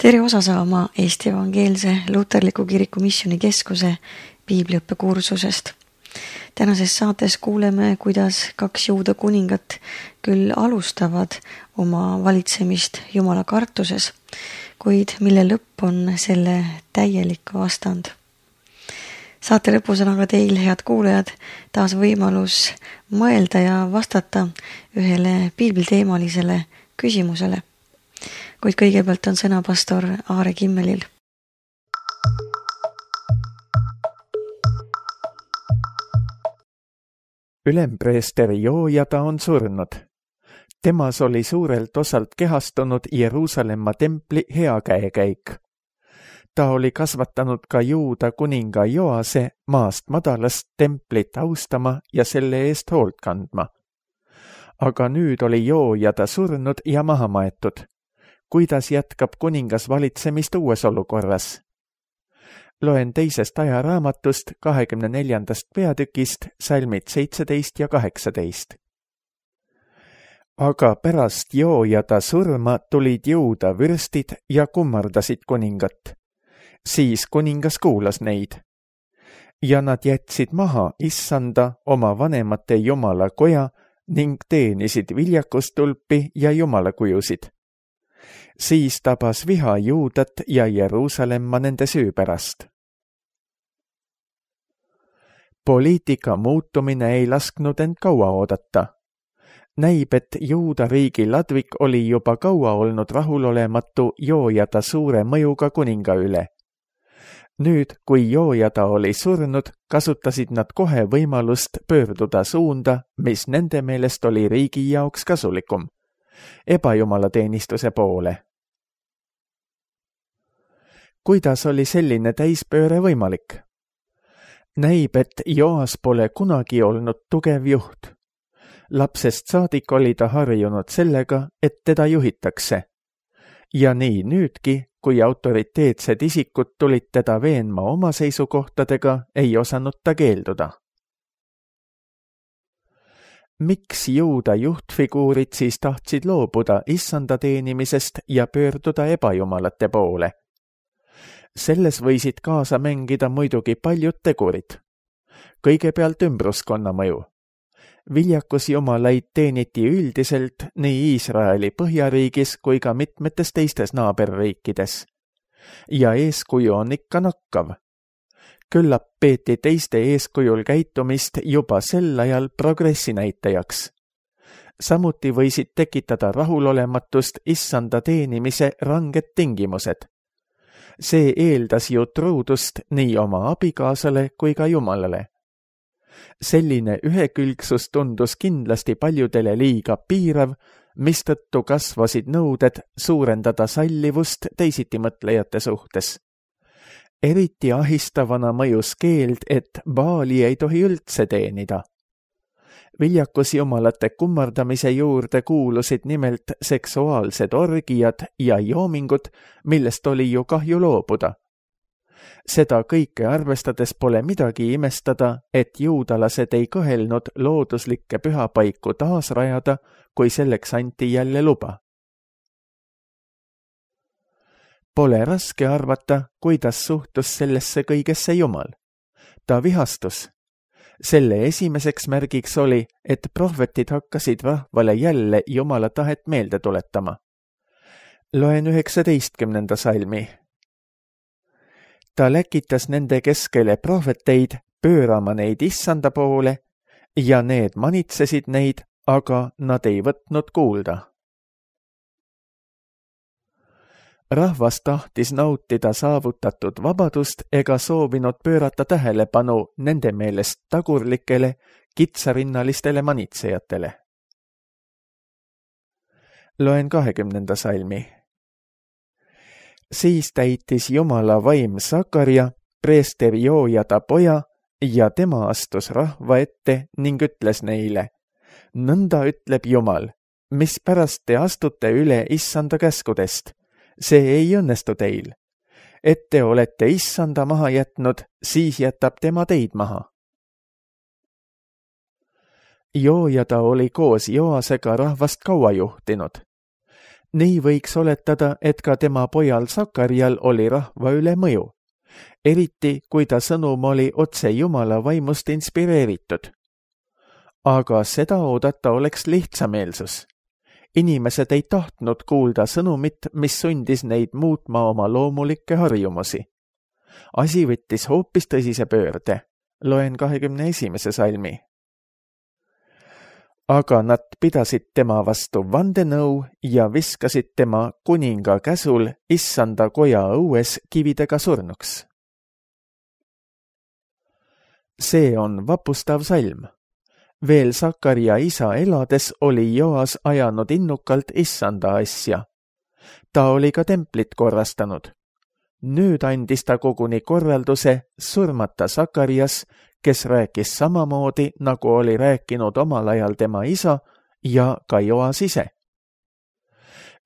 Tere osa saama Eesti Evangeelse Luterliku Kiriku Missioonikeskuse piibliõppekursusest. Tänases saates kuuleme, kuidas 2 juuda kuningat küll alustavad oma valitsemist Jumala kartuses, kuid mille lõpp on selle täielik vastand. Saate lõpus on aga teil, head kuulajad, taas võimalus mõelda ja vastata ühele piibliteemalisele küsimusele. Kuid kõigepealt on sõna pastor Aare Kimmelil. Ülempreester Joojada on surnud. Temas oli suurelt osalt kehastunud Jeruusalemma templi hea käekäik. Ta oli kasvatanud ka Juuda kuninga Joase maast madalast templit austama ja selle eest hoolt kandma. Aga nüüd oli Joojada surnud ja maha maetud. Kuidas jätkab kuningas valitsemist uues olukorras? Loen 2. ajaraamatust 24. peatükist salmid 17 ja 18. Aga pärast Joojada surma tulid Juuda vürstid ja kummardasid kuningat. Siis kuningas kuulas neid. Ja nad jätsid maha Issanda oma vanemate Jumala koja ning teenisid viljakustulpi ja jumalakujusid. Siis tabas viha Juudat ja Jeruusalemma nende süü pärast. Poliitika muutumine ei lasknud end kaua oodata. Näib, et Juuda riigi ladvik oli juba kaua olnud rahulolematu Joojada suure mõjuga kuninga üle. Nüüd, kui Joojada oli surnud, kasutasid nad kohe võimalust pöörduda suunda, mis nende meelest oli riigi jaoks kasulikum, ebajumalateenistuse poole. Kuidas oli selline täispööre võimalik? Näib, et Joas pole kunagi olnud tugev juht. Lapsest saadik oli ta harjunud sellega, et teda juhitakse. Ja nii nüüdki, kui autoriteetsed isikud tulid teda veenma oma seisukohtadega, ei osanud ta keelduda. Miks Juuda juhtfiguurid siis tahtsid loobuda Issanda teenimisest ja pöörduda ebajumalate poole? Selles võisid kaasa mängida muidugi paljud tegurid. Kõigepealt ümbruskonna mõju. Viljakusjumalaid teeniti üldiselt nii Iisraeli põhjariigis kui ka mitmetes teistes naaberriikides. Ja eeskuju on ikka nakkav. Küllap peeti teiste eeskujul käitumist juba sel ajal progressi näitajaks. Samuti võisid tekitada rahulolematust Issanda teenimise ranged tingimused. See eeldas ju truudust nii oma abikaasale kui ka Jumalale. Selline ühekülgsus tundus kindlasti paljudele liiga piirav, mistõttu kasvasid nõuded suurendada sallivust teisitimõtlejate suhtes. Eriti ahistavana mõjus keeld, et Baali ei tohi üldse teenida. Viljakusjumalate kummardamise juurde kuulusid nimelt seksuaalsed orgiad ja joomingud, millest oli ju kahju loobuda. Seda kõike arvestades pole midagi imestada, et juudalased ei kõhelnud looduslikke pühapaiku taasrajada, kui selleks anti jälle luba. Pole raske arvata, kuidas suhtus sellesse kõigesse Jumal. Ta vihastus. Selle esimeseks märgiks oli, et prohvetid hakkasid rahvale jälle Jumala tahet meelde tuletama. Loen 19. salmi. Ta läkitas nende keskele prohveteid pöörama neid Issanda poole ja need manitsesid neid, aga nad ei võtnud kuulda. Rahvas tahtis nautida saavutatud vabadust ega soovinud pöörata tähelepanu nende meelest tagurlikele, kitsarinnalistele manitsejatele. Loen 20. salmi. Siis täitis Jumala vaim Sakaria, preester Joojada poja, ja tema astus rahva ette ning ütles neile: Nõnda ütleb Jumal, mispärast te astute üle Issanda käskudest? See ei õnnestu teil. Et te olete Issanda maha jätnud, siis jätab tema teid maha. Joojada oli koos Joasega rahvast kaua juhtinud. Nii võiks oletada, et ka tema pojal Sakarjal oli rahva üle mõju, eriti kui ta sõnum oli otse Jumala vaimust inspireeritud. Aga seda oodata oleks lihtsameelsus. Inimesed ei tahtnud kuulda sõnumit, mis sundis neid muutma oma loomulikke harjumusi. Asi võttis hoopis tõsise pöörde. Loen 21. salmi. Aga nad pidasid tema vastu vandenõu ja viskasid tema kuninga käsul issanda koja õues kividega surnuks. See on vapustav salm. Veel Sakarja isa elades oli Joas ajanud innukalt issanda asja. Ta oli ka templit korrastanud. Nüüd andis ta koguni korralduse surmata Sakarjas, kes rääkis samamoodi, nagu oli rääkinud omal ajal tema isa ja ka Joas ise.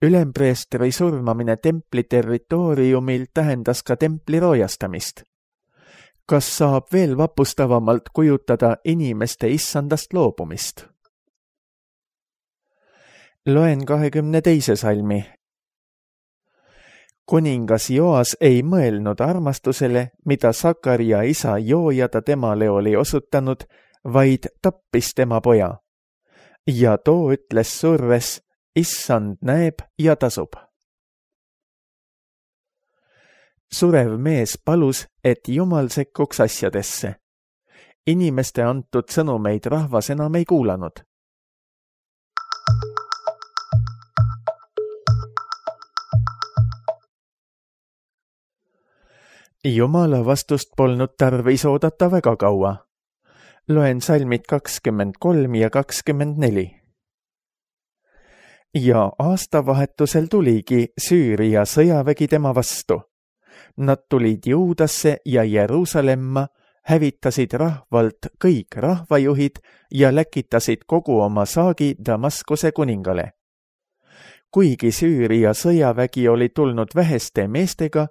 Ülempreestri surmamine templi territooriumil tähendas ka templi roojastamist. Kas saab veel vapustavamalt kujutada inimeste issandast loobumist? Loen 22. salmi. Kuningas Joas ei mõelnud armastusele, mida Sakarja isa Joojada temale oli osutanud, vaid tappis tema poja. Ja too ütles surres, issand näeb ja tasub. Surev mees palus, et Jumal sekkuks asjadesse. Inimeste antud sõnumeid rahvas enam ei kuulanud. Jumala vastust polnud tarvis oodata väga kaua. Loen salmid 23 ja 24. Ja aastavahetusel tuligi Süüria sõjavägi tema vastu. Nad tulid Juudasse ja Jeruusalemma, hävitasid rahvalt kõik rahvajuhid ja läkitasid kogu oma saagi Damaskuse kuningale. Kuigi Süüria sõjavägi oli tulnud väheste meestega,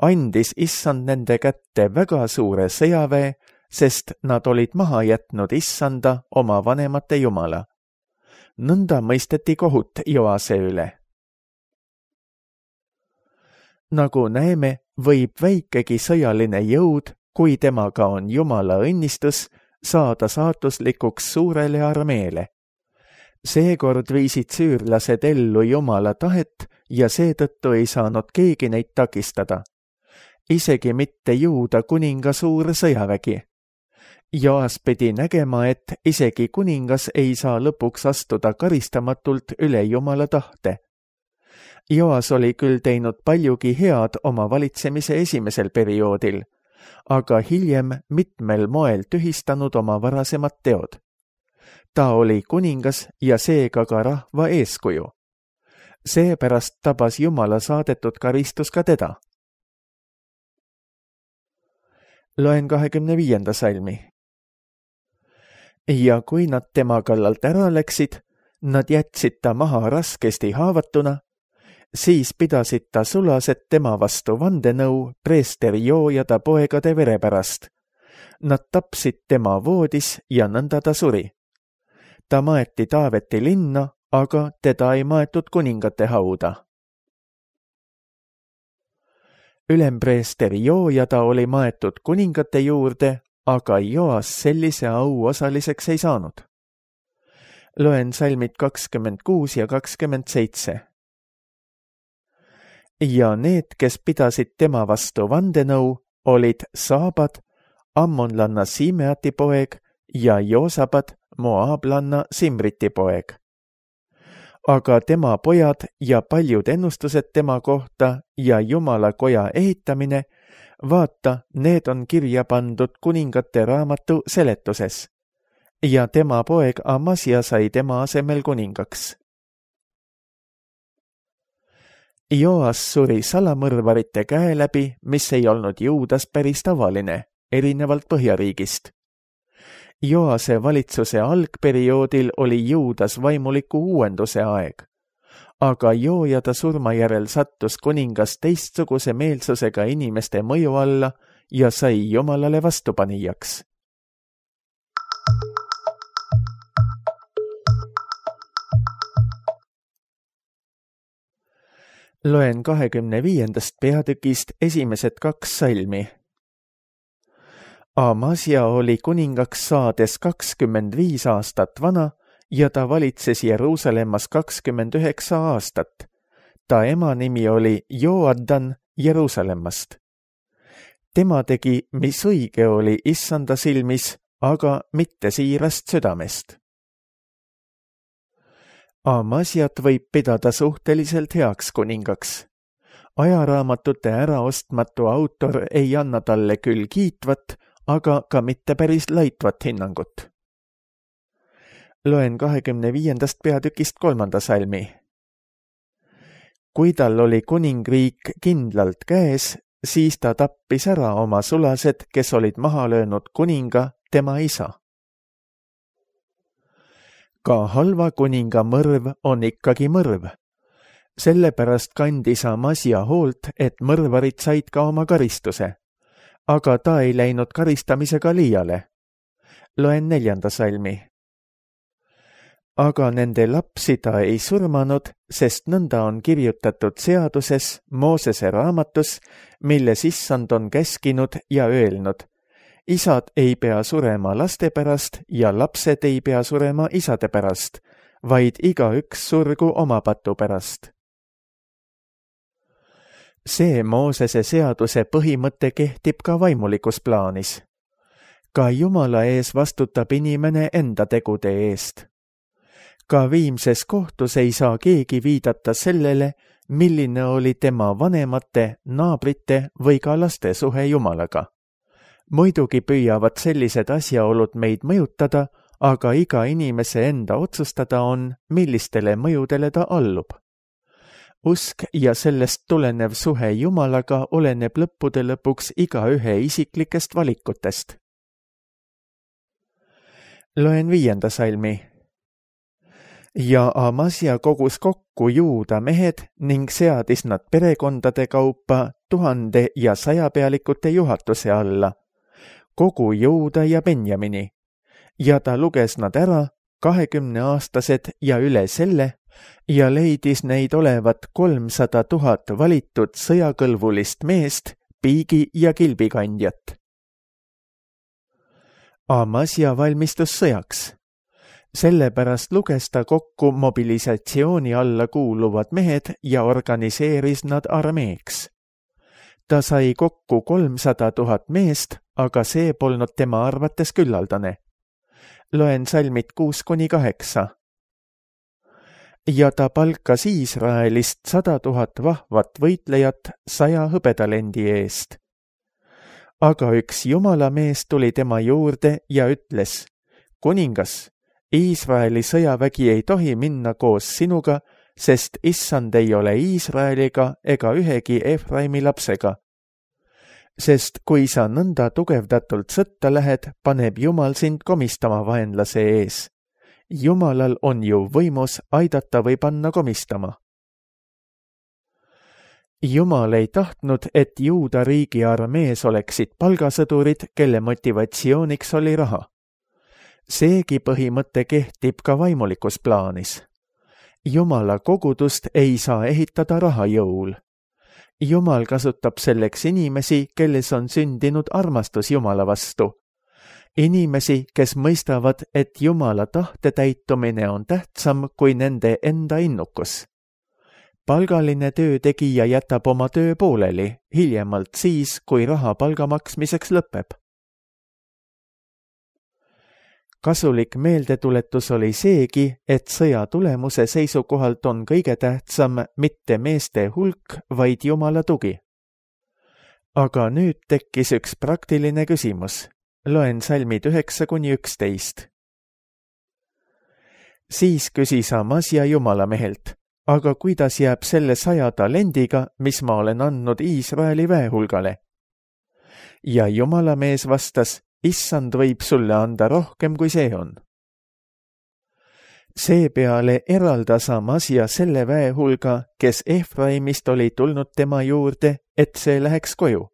andis issand nende kätte väga suure sõjaväe, sest nad olid maha jätnud issanda oma vanemate jumala. Nõnda mõisteti kohut Joase üle. Nagu näeme, võib väikegi sõjaline jõud, kui temaga on Jumala õnnistus, saada saatuslikuks suurele armeele. Seekord viisid süürlased ellu Jumala tahet ja seetõttu ei saanud keegi neid takistada. Isegi mitte Juuda kuninga suur sõjavägi. Joas pidi nägema, et isegi kuningas ei saa lõpuks astuda karistamatult üle Jumala tahte. Joas oli küll teinud paljugi head oma valitsemise esimesel perioodil, aga hiljem mitmel moel tühistanud oma varasemad teod. Ta oli kuningas ja seega ka rahva eeskuju. Seepärast tabas Jumala saadetud karistus ka teda. Loen 25. salmi. Ja kui nad tema kallalt ära läksid, nad jätsid ta maha raskesti haavatuna, siis pidasid ta sulased tema vastu vandenõu preester Joojada poegade vere pärast. Nad tapsid tema voodis ja nõnda ta suri. Ta maeti Taaveti linna, aga teda ei maetud kuningate hauda. Ülempreester Joojada oli maetud kuningate juurde, aga Joas sellise au osaliseks ei saanud. Loen salmid 26 ja 27. Ja need, kes pidasid tema vastu vandenõu, olid Saabad, ammonlanna Simeati poeg ja Joosabad, moaablanna Simriti poeg. Aga tema pojad ja paljud ennustused tema kohta ja Jumala koja ehitamine, vaata, need on kirja pandud kuningate raamatu seletuses. Ja tema poeg Amasia sai tema asemel kuningaks. Joas suri salamõrvarite käe läbi, mis ei olnud Juudas päris tavaline, erinevalt Põhjariigist. Joase valitsuse algperioodil oli Juudas vaimuliku uuenduse aeg, aga Joojada surma järel sattus kuningas teistsuguse meelsusega inimeste mõju alla ja sai Jumalale vastupanijaks. Loen 25. peatükist esimesed 2 salmi. Amasia oli kuningaks saades 25 aastat vana ja ta valitses Jeruusalemmas 29 aastat. Ta ema nimi oli Joadan Jeruusalemmast. Tema tegi, mis õige oli Issanda silmis, aga mitte siirast südamest. Amasiat võib pidada suhteliselt heaks kuningaks. Ajaraamatute äraostmatu autor ei anna talle küll kiitvat, aga ka mitte päris laitvat hinnangut. Loen 25. peatükist 3. salmi. Kui tal oli kuningriik kindlalt käes, siis ta tappis ära oma sulased, kes olid maha löönud kuninga, tema isa. Ka halva kuninga mõrv on ikkagi mõrv. Sellepärast kandis Amasia hoolt, et mõrvarid said ka oma karistuse. Aga ta ei läinud karistamisega liiale. Loen 4. salmi. Aga nende lapsi ta ei surmanud, sest nõnda on kirjutatud seaduses, Moosese raamatus, milles Issand on käskinud ja öelnud. Isad ei pea surema laste pärast ja lapsed ei pea surema isade pärast, vaid igaüks surgu oma patu pärast. See Moosese seaduse põhimõte kehtib ka vaimulikus plaanis. Ka Jumala ees vastutab inimene enda tegude eest. Ka viimses kohtus ei saa keegi viidata sellele, milline oli tema vanemate, naabrite või ka laste suhe Jumalaga. Muidugi püüavad sellised asjaolud meid mõjutada, aga iga inimese enda otsustada on, millistele mõjudele ta allub. Usk ja sellest tulenev suhe Jumalaga oleneb lõppude lõpuks igaühe isiklikest valikutest. Loen 5. salmi. Ja Amasia kogus kokku Juuda mehed ning seadis nad perekondade kaupa 1000 ja 100 pealikute juhatuse alla, kogu Juuda ja Benjamini, ja ta luges nad ära 20-aastased ja üle selle ja leidis neid olevat 300 000 valitud sõjakõlbulist meest, piigi ja kilbikandjat. Amasia valmistus sõjaks. Sellepärast luges ta kokku mobilisatsiooni alla kuuluvad mehed ja organiseeris nad armeeks. Ta sai kokku 300 000 meest, aga see polnud tema arvates küllaldane. Loen salmid 6-8. Ja ta palkas Iisraelist 100 000 vahvat võitlejat 100 hõbedalendi eest. Aga üks Jumala mees tuli tema juurde ja ütles, kuningas, Iisraeli sõjavägi ei tohi minna koos sinuga, sest Issand ei ole Iisraeliga ega ühegi Efraimi lapsega. Sest kui sa nõnda tugevdatult sõtta lähed, paneb Jumal sind komistama vaenlase ees. Jumalal on ju võimus aidata või panna komistama. Jumal ei tahtnud, et Juuda riigi armees oleksid palgasõdurid, kelle motivatsiooniks oli raha. Seegi põhimõte kehtib ka vaimulikus plaanis. Jumala kogudust ei saa ehitada raha jõul. Jumal kasutab selleks inimesi, kelles on sündinud armastus Jumala vastu. Inimesi, kes mõistavad, et Jumala tahte täitumine on tähtsam kui nende enda innukus. Palgaline töötegija jätab oma töö pooleli, hiljemalt siis, kui raha palga maksmiseks lõpeb. Kasulik meeldetuletus oli seegi, et sõja tulemuse seisukohalt on kõige tähtsam mitte meeste hulk, vaid Jumala tugi. Aga nüüd tekkis üks praktiline küsimus. Loen salmid 9-11. Siis küsis Amasia Jumala mehelt, aga kuidas jääb selle 100 talendiga, mis ma olen andnud Iisraeli väehulgale? Ja Jumala mees vastas, Issand võib sulle anda rohkem, kui see on. Seepeale eraldas Amasia selle väehulga, kes Efraimist oli tulnud tema juurde, et see läheks koju.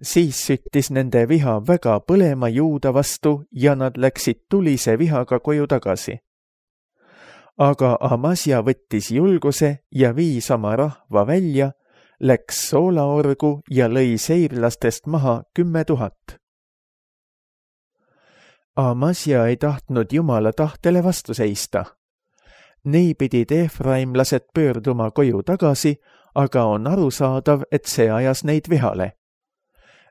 Siis süttis nende viha väga põlema Juuda vastu ja nad läksid tulise vihaga koju tagasi. aga Amasja võttis julguse ja viis oma rahva välja, läks soolaorgu ja lõi seirlastest maha 10 000. Amasja ei tahtnud Jumala tahtele vastu seista. Nii pidid efraimlased pöörduma koju tagasi, aga on arusaadav, et see ajas neid vihale.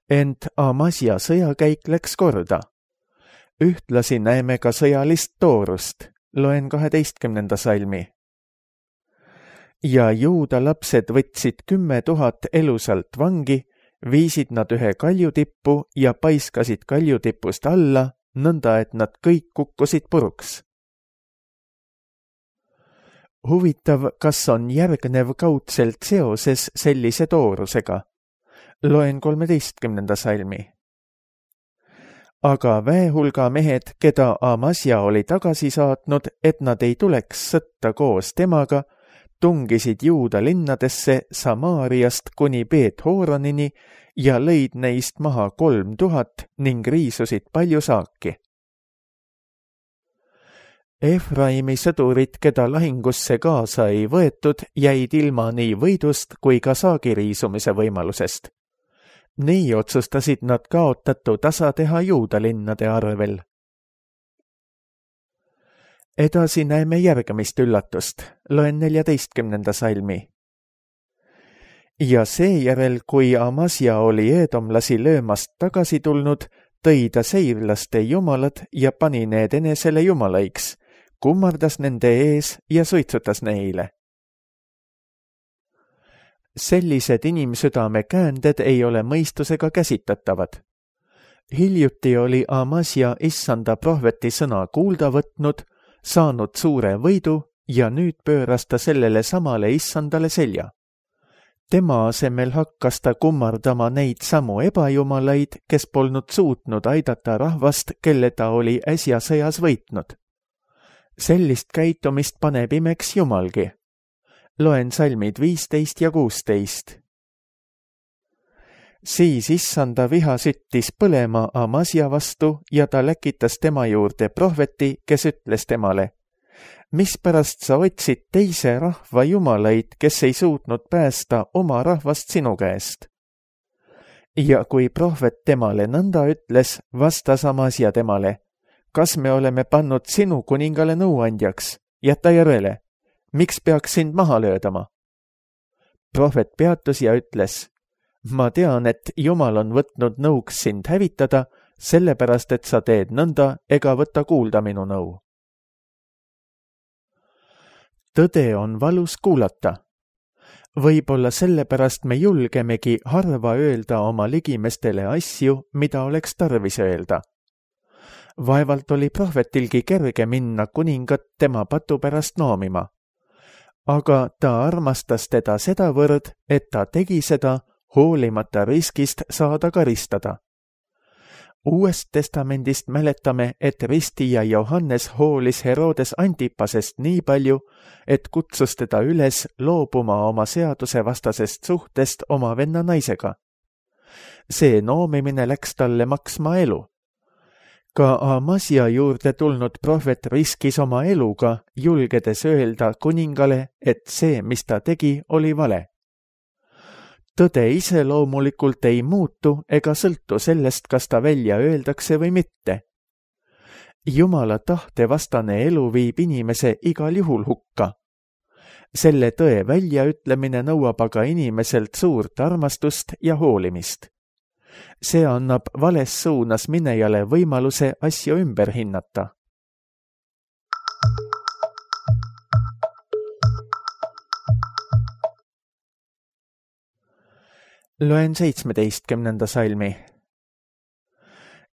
Ent Amasja sõjakäik läks korda. Ühtlasi näeme ka sõjalist toorust. Loen 12. salmi. Ja Juuda lapsed võtsid 10 000 elusalt vangi, viisid nad ühe kaljutippu ja paiskasid kaljutipust alla, nõnda et nad kõik kukkusid puruks. Huvitav, kas on järgnev kaudselt seoses sellise toorusega? Loen 13. salmi. Aga väehulga mehed, keda Amasja oli tagasi saatnud, et nad ei tuleks sõtta koos temaga, tungisid Juuda linnadesse Samaariast kuni Beet-Horonini ja lõid neist maha 3000 ning riisusid palju saaki. Efraimi sõdurid, keda lahingusse kaasa ei võetud, jäid ilma nii võidust kui ka saagiriisumise võimalusest. Nii otsustasid nad kaotatu tasa teha Juuda linnade arvel. Edasi näeme järgmist üllatust. Loen 14. salmi. Ja seejärel, kui Amasja oli eedomlasi löömast tagasi tulnud, tõi ta seirlaste jumalad ja pani need enesele jumalaiks, kummardas nende ees ja suitsutas neile. Sellised inimsüdame käänded ei ole mõistusega käsitatavad. Hiljuti oli Amasja issanda prohveti sõna kuulda võtnud, saanud suure võidu ja nüüd pööras ta sellele samale issandale selja. Tema asemel hakkas ta kummardama neid samu ebajumalaid, kes polnud suutnud aidata rahvast, kelle ta oli äsja sõjas võitnud. Sellist käitumist paneb imeks Jumalgi. Loen salmid 15 ja 16. Siis issanda viha süttis põlema Amasja vastu ja ta läkitas tema juurde prohveti, kes ütles temale: mispärast sa otsid teise rahva jumalaid, kes ei suutnud päästa oma rahvast sinu käest? Ja kui prohvet temale nõnda ütles, vastas Amasja temale: kas me oleme pannud sinu kuningale nõuandjaks? Jäta järele. Miks peaks sind maha löödama? Prohvet peatus ja ütles: ma tean, et Jumal on võtnud nõuks sind hävitada, sellepärast, et sa teed nõnda ega võta kuulda minu nõu. Tõde on valus kuulata. Võib-olla sellepärast me julgemegi harva öelda oma ligimestele asju, mida oleks tarvis öelda. Vaevalt oli prohvetilgi kerge minna kuningat tema patu pärast noomima. Aga ta armastas teda sedavõrd, et ta tegi seda, hoolimata riskist saada karistada. Uuest testamendist mäletame, et ristija Johannes hoolis Herodes Antipasest nii palju, et kutsus teda üles loobuma oma seadusevastasest suhtest oma venna naisega. See noomimine läks talle maksma elu. Ka Amasja juurde tulnud prohvet riskis oma eluga, julgedes öelda kuningale, et see, mis ta tegi, oli vale. Tõde ise loomulikult ei muutu ega sõltu sellest, kas ta välja öeldakse või mitte. Jumala tahte vastane elu viib inimese igal juhul hukka. Selle tõe väljaütlemine nõuab aga inimeselt suurt armastust ja hoolimist. See annab vales suunas minejale võimaluse asju ümber hinnata. Loen 17. salmi.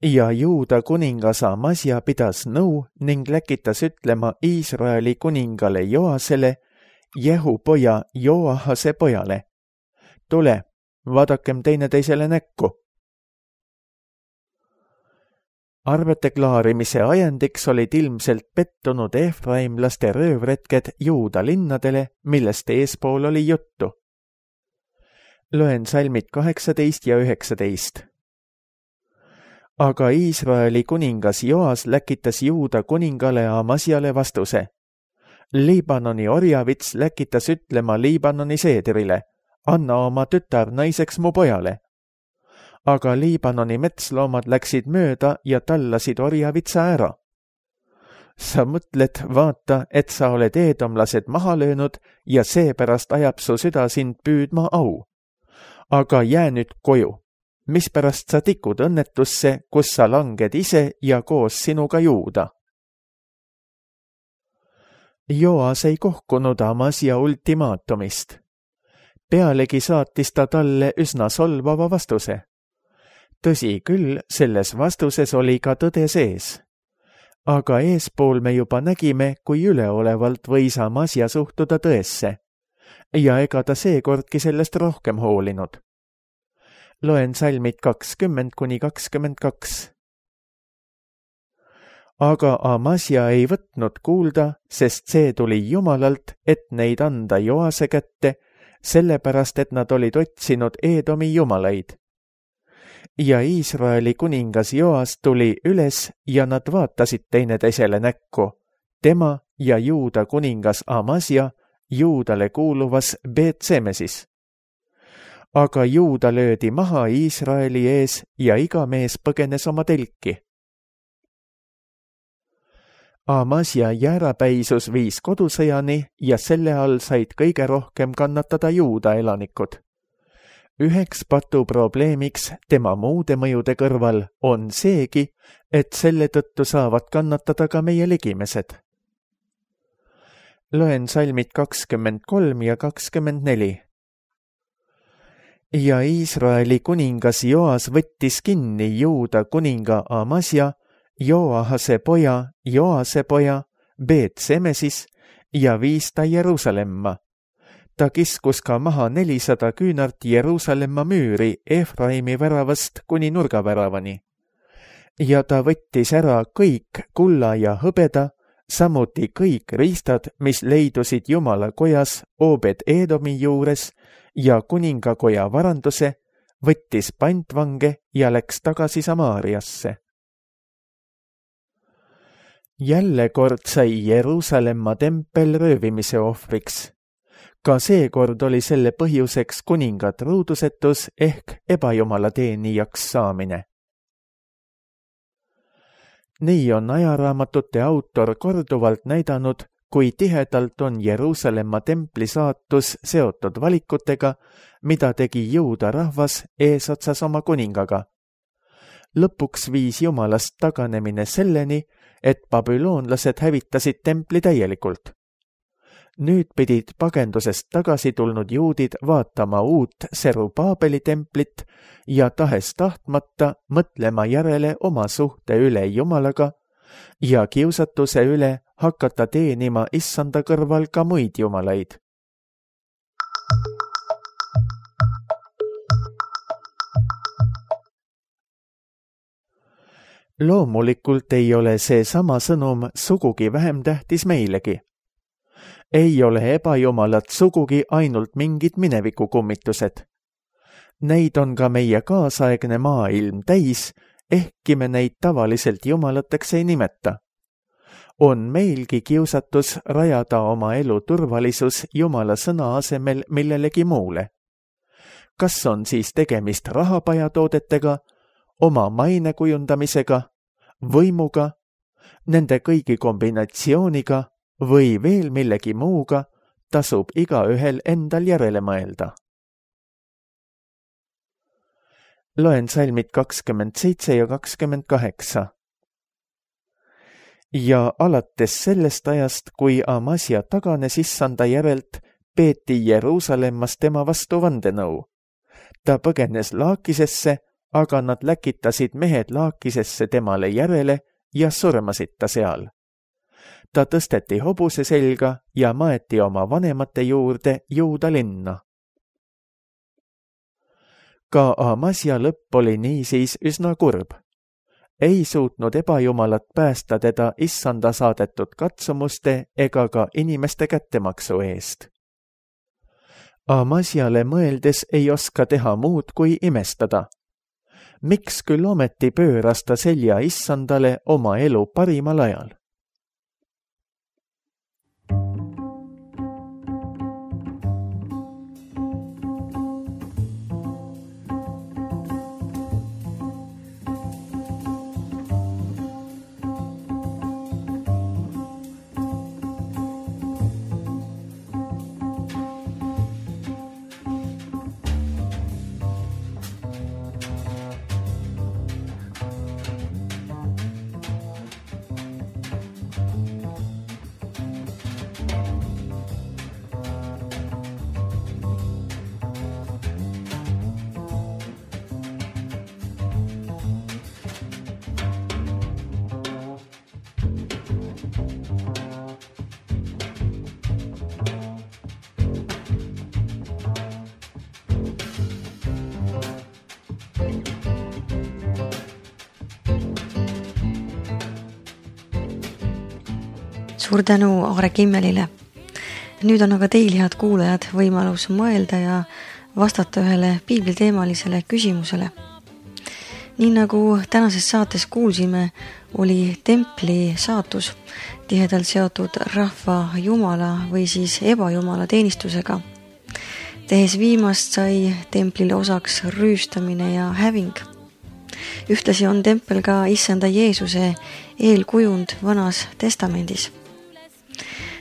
Ja Juuda kuningas Amasja pidas nõu ning läkitas ütlema Iisraeli kuningale Joasele, Jehu poja Joahase pojale: tule, vaadakem teineteisele näkku. Arvete klaarimise ajendiks olid ilmselt pettunud efraimlaste röövretked Juuda linnadele, millest eespool oli juttu. Loen salmid 18 ja 19. Aga Iisraeli kuningas Joas läkitas Juuda kuningale Amasjale vastuse: Liibanoni orjavits läkitas ütlema Liibanoni seedrile, anna oma tütar naiseks mu pojale. Aga Liibanoni metsloomad läksid mööda ja tallasid orjavitsa ära. Sa mõtled, vaata, et sa oled eedomlased maha löönud ja seepärast ajab su süda sind püüdma au. Aga jää nüüd koju, mispärast sa tikud õnnetusse, kus sa langed ise ja koos sinuga Juuda. Joas ei kohkunud Amasia ultimaatumist. Pealegi saatis ta talle üsna solvava vastuse. Tõsi küll, selles vastuses oli ka tõde sees. Aga eespool me juba nägime, kui üleolevalt võis Amasia suhtuda tõesse. Ja ega ta seekordki sellest rohkem hoolinud. Loen salmid 20–22. Aga Amasia ei võtnud kuulda, sest see tuli Jumalalt, et neid anda Joase kätte, sellepärast, et nad olid otsinud Eedomi jumalaid. Ja Iisraeli kuningas Joas tuli üles ja nad vaatasid teineteisele näkku, tema ja Juuda kuningas Amasia Juudale kuuluvas Beet-Semesis. Aga Juuda löödi maha Iisraeli ees ja iga mees põgenes oma telki. Amasia jäärapäisus viis kodusõjani ja selle all said kõige rohkem kannatada Juuda elanikud. Üheks patuprobleemiks tema muude mõjude kõrval on seegi, et selle tõttu saavad kannatada ka meie ligimesed. Loen salmid 23 ja 24. Ja Iisraeli kuningas Joas võttis kinni Juuda kuninga Amasia, Joahase poja, Joase poja, Beet-Semesis ja viis ta Jeruusalemma. Ta kiskus ka maha 400 küünart Jeruusalemma müüri Efraimi väravast kuni nurgaväravani. Ja ta võttis ära kõik kulla ja hõbeda, samuti kõik riistad, mis leidusid Jumala kojas Obed-Edomi juures ja kuningakoja varanduse, võttis pantvange ja läks tagasi Samaariasse. Jälle kord sai Jeruusalemma tempel röövimise ohvriks. Ka seekord oli selle põhjuseks kuninga truudusetus ehk ebajumala teenijaks saamine. Nii on ajaraamatute autor korduvalt näidanud, kui tihedalt on Jeruusalemma templi saatus seotud valikutega, mida tegi Juuda rahvas eesotsas oma kuningaga. Lõpuks viis Jumalast taganemine selleni, et babüloonlased hävitasid templi täielikult. Nüüd pidid pagendusest tagasi tulnud juudid vaatama uut Serubaabeli templit ja tahes tahtmata mõtlema järele oma suhte üle Jumalaga ja kiusatuse üle hakata teenima issanda kõrval ka muid jumalaid. Loomulikult ei ole see sama sõnum sugugi vähem tähtis meilegi. Ei ole ebajumalat sugugi ainult mingid minevikukummitused. Neid on ka meie kaasaegne maailm täis, ehkki me neid tavaliselt jumalateks ei nimeta. On meilgi kiusatus rajada oma elu turvalisus Jumala sõna asemel millelegi muule. Kas on siis tegemist rahapajatoodetega, oma maine kujundamisega, võimuga, nende kõigi kombinatsiooniga või veel millegi muuga, tasub igaühel endal järele mõelda. Loen salmid 27 ja 28. Ja alates sellest ajast, kui Amasia taganes issanda järelt, peeti Jeruusalemmas tema vastu vandenõu. Ta põgenes Laakisesse, aga nad läkitasid mehed Laakisesse temale järele ja surmasid ta seal. Ta tõsteti hobuse selga ja maeti oma vanemate juurde Juuda linna. Ka Amasia lõpp oli niisiis üsna kurb. Ei suutnud ebajumalat päästa teda issanda saadetud katsumuste ega ka inimeste kättemaksu eest. Amasiale mõeldes ei oska teha muud kui imestada. Miks küll ometi pööras ta selja issandale oma elu parimal ajal? Suur tänu Aare Kimmelile. Nüüd on aga teil, head kuulajad, võimalus mõelda ja vastata ühele piibliteemalisele küsimusele. Nii nagu tänases saates kuulsime, oli templi saatus tihedalt seotud rahva jumala või siis ebajumala teenistusega. Tehes viimast sai templile osaks rüüstamine ja häving. Ühtlasi on tempel ka issanda Jeesuse eelkujund Vanas Testamendis.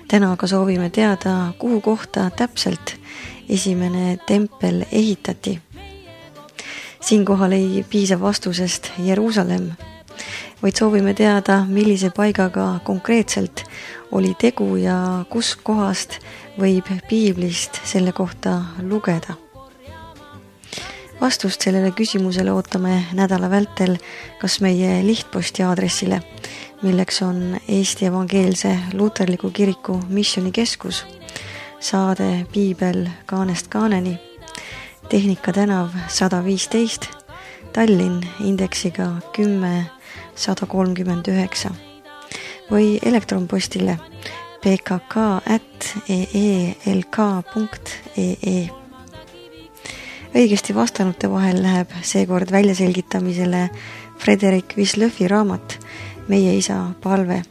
Täna aga soovime teada, kuhu kohta täpselt esimene tempel ehitati. Siinkohal ei piisa vastusest Jeruusalemm, vaid soovime teada, millise paigaga konkreetselt oli tegu ja kus kohast võib piiblist selle kohta lugeda. Vastust sellele küsimusele ootame nädala vältel kas meie lihtposti aadressile, milleks on Eesti Evangeelse Luterliku Kiriku Missioonikeskus, saade Piibel kaanest kaaneni, Tehnika tänav 115, Tallinn indeksiga 10139 või elektronpostile pkk@eelk.ee. Õigesti vastanute vahel läheb seekord väljaselgitamisele Frederik Wislöfi raamat Meie isa palve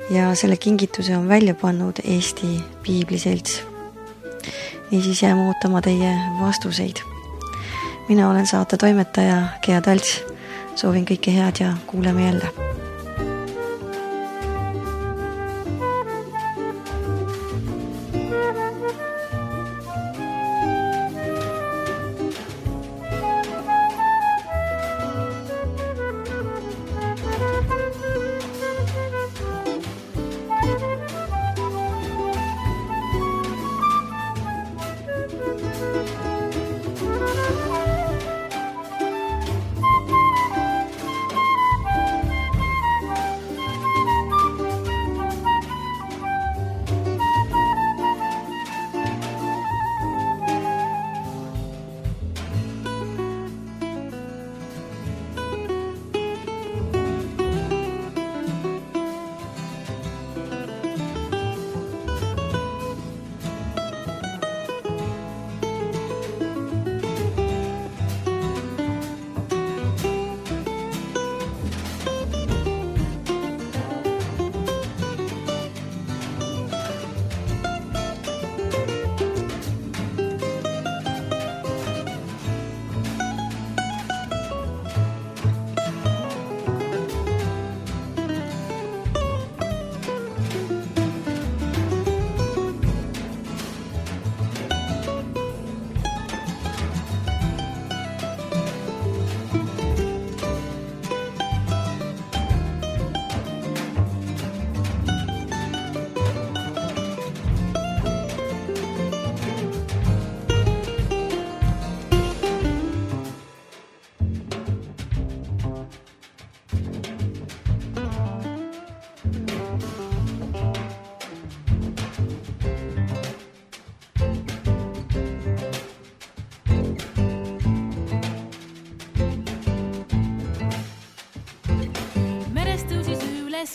ja selle kingituse on välja pannud Eesti Piibliselts. Niisiis jääme ootama teie vastuseid. Mina olen saate toimetaja Gea Talts. Soovin kõike head ja kuuleme jälle.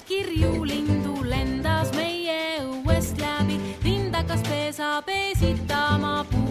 Kirju lindu lendas meie õuest läbi, lindakas pesa pesitama puu.